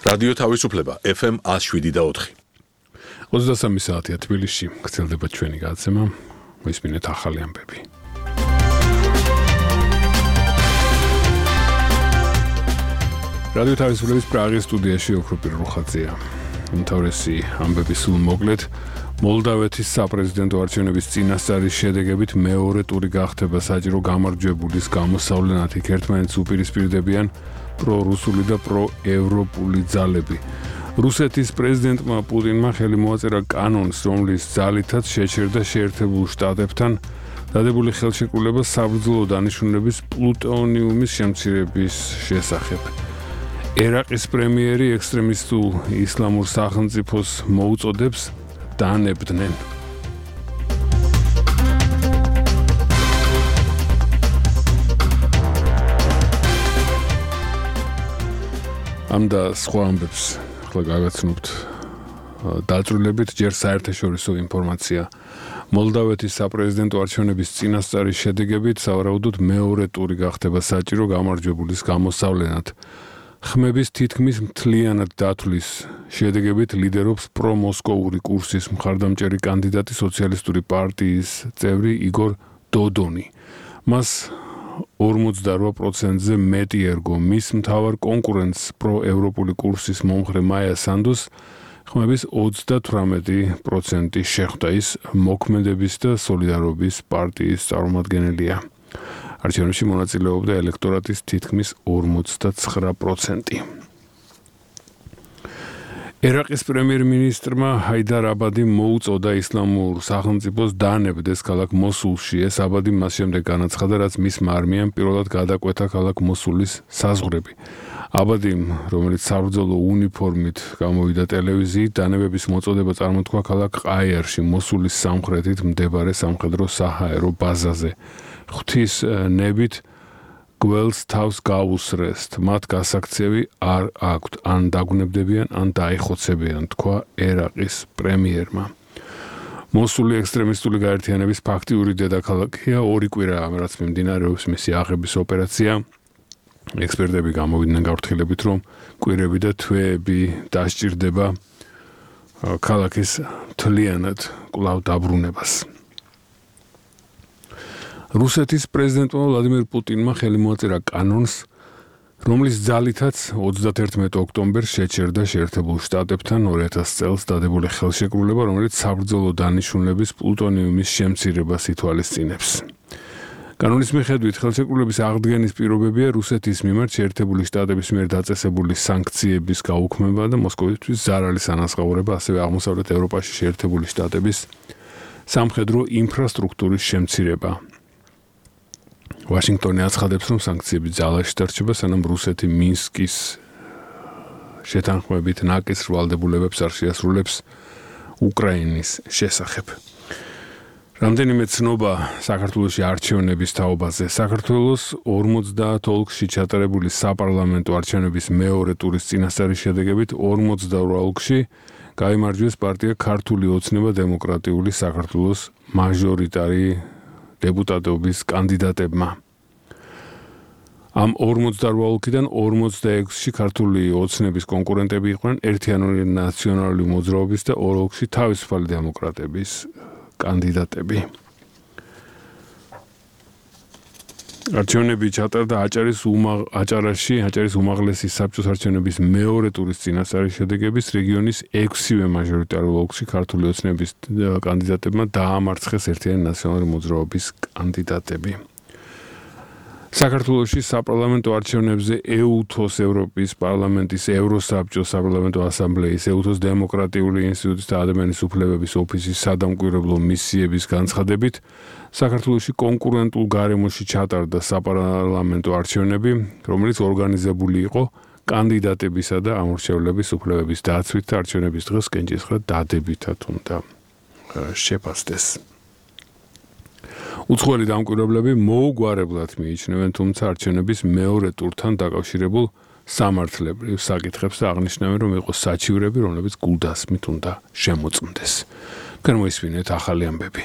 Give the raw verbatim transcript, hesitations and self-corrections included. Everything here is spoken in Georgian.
რადიო თავისუფლება F M one oh seven და four. ოცდასამი საათია თბილისში, გრძელდება ჩვენი გადაცემა. მოისმინეთ ახალი ამბები. რადიო თავისუფლების პრაღის სტუდიაში ოქრო პიროხაძეა. უმთავრესი ამბები სულ მოკლედ. მოლდავეთის საპრეზიდენტო არჩევნების წინასწარის შედეგებით მეორე ტური გახდება საჭირო გამარჯვებულის გამოსავლენად იქ ერთმანეთს უპირისპირდებიან პრორუსული და პროევროპული ძალები. რუსეთის პრეზიდენტმა პუტინმა ხელი მოაწერა კანონს, რომლის ძალითაც შეჩერდა შეერთებულ შტატებთან დადებული ხელშეკრულება საბრძოლო დანიშნულების პლუტონიუმის შემცირების შესახებ. ერაყის პრემიერი ექსტრემისტულ ისლამურ სახელმწიფოს მოუწოდებს დანებდნენ. ამ და სხვა ამბებს ახლა გავაცნობთ დაწვრილებით ჯერ საერთაშორისო ინფორმაცია. მოლდავეთის საპრეზიდენტო არჩევნების წინასწარის შედეგებით სავარაუდოდ მეორე ტური გახდება საჭირო გამარჯვებულის გამოსავლენად. ხმების თითქმის მთლიანად დათვლის შედეგებით ლიდერობს პრომოსკოვური კურსის მხარდამჭერი კანდიდატი სოციალისტური პარტიის წევრი იგორ დოდონი. მას ორმოცდარვა პროცენტზე მეტი ერგო მის მთავარ კონკურენტს პროევროპული კურსის მომხრე მაია სანდოს ხმების ოცდათვრამეტი პროცენტი შეხვდა. ის მოქმედების და სოლიდარობის პარტიის წარმომადგენელია. არჩევნებში მონაწილეობდა ელექტორატის თითქმის ორმოცდაცხრა პროცენტი. ერაყის პრემიერ-მინისტრმა ჰაიდარ აბადი მოუწოდა ისლამურ სახელმწიფოს დანებდეს ქალაქ მოსულში. ეს აბადი მას შემდეგ განაცხადა, რაც მისმა არმიამ პირველად გადაკვეთა ქალაქ მოსულის საზღვრები. აბადიმ, რომელიც საბრძოლო უნიფორმით გამოვიდა ტელევიზიით, დანებების მოწოდება წარმოთქვა ქალაქ ყაიერში, მოსულის სამხრეთით მდებარე სამხედრო საჰაერო ბაზაზე. ღვთის ნებით გველს თავს გაუსრესთ, მათ გასაქცევი არ აქვთ, ან დაგუნებდებიან, ან დაიხოცებიან, თქვა ერაყის პრემიერმა. მოსული ექსტრემისტული გაერთიანების ფაქტიური დედაქალაქია, ორი კვირაა, რაც მიმდინარეობს მისი აღების ოპერაცია. ექსპერტები გამოვიდნენ გაფრთხილებით, რომ კვირები და თვეები დასჭირდება ქალაქის მთლიანად კვლავ დაბრუნებას. რუსეთის პრეზიდენტმა ვლადიმირ პუტინმა ხელი მოაწერა კანონს, რომლის ძალითაც ოცდაათერთმეტი ოქტომბერს შეჩერდა შეერთებულ შტატებთან ორი ათასი წელს დადებული ხელშეკრულება, რომელიც საბრძოლო დანიშნულების პლუტონიუმის შემცირებას ითვალისწინებს. კანონის მიხედვით ხელშეკრულების აღდგენის პირობებია რუსეთის მიმართ შეერთებული შტატების მიერ დაწესებული სანქციების გაუქმება და მოსკოვისთვის ზარალის ანაზღაურება, ასევე აღმოსავლეთ ევროპაში შეერთებული შტატების სამხედრო ინფრასტრუქტურის შემცირება. ვაშინგტონი აცხადებს, რომ სანქციები ძალაში დარჩება, სანამ რუსეთი მინსკის შეთანხმებით ნაკის ვალდებულებებს არ შეასრულებს უკრაინის შესახებ. რამდენიმე ცნობა საქართველოში არჩევნების თაობაზე. საქართველოს ორმოცდაათ ოლქში ჩატარებული საპარლამენტო არჩევნების მეორე ტურის წინასწარის შედეგებით ორმოცდაორ ოლქში გაიმარჯვეს პარტია ქართული ოცნება დემოკრატიული საქართველოს მაჟორიტარი დეპუტატობის კანდიდატებმა. ამ ორმოცდაორ ოლქიდან ორმოცდაექვსში ქართული ოცნების კონკურენტები იყვნენ ერთიანი ნაციონალური მოძრაობის და ორ ოლქში თავისუფალი დემოკრატების კანდიდატები. არჩევნები ჩატარდა აჭარის უმაღ აჭარაში, აჭარის უმაღლესი საბჭოს არჩევნების მეორე ტურის წინასწარის შედეგების რეგიონის ექვსივე მაჟორიტარულ ოლქში ქართული ოცნების კანდიდატებმა დაამარცხეს ერთიანი ნაციონალური მოძრაობის კანდიდატები. საქართველოში საპარლამენტო არჩევნებზე ეუთოს ევროპის პარლამენტის ევროსაბჭოს საპარლამენტო ასამბლეის ეუთოს დემოკრატიული ინსტიტუტის და ადამიანის უფლებების ოფისის სადამკვირვებლო მისიების განცხადებით საქართველოში კონკურენტულ გარემოში ჩატარდა საპარლამენტო არჩევნები, რომელიც ორგანიზებული იყო კანდიდატებისა და ამორჩევლების უფლებების დაცვით და არჩევნების დღეს კენჭისყრა დადებითად უნდა შეფასდეს. უცხოელი დამკვირვებლები მოუგვარებლად მიიჩნევენ, თუმცა არჩევნების მეორე ტურთან დაკავშირებულ სამართლებრივ საკითხებს და აღნიშნავენ, რომ იყო საჩივრები, რომლებიც გულდასმით უნდა შემოწმდეს. განმოისმინეთ ახალი ამბები.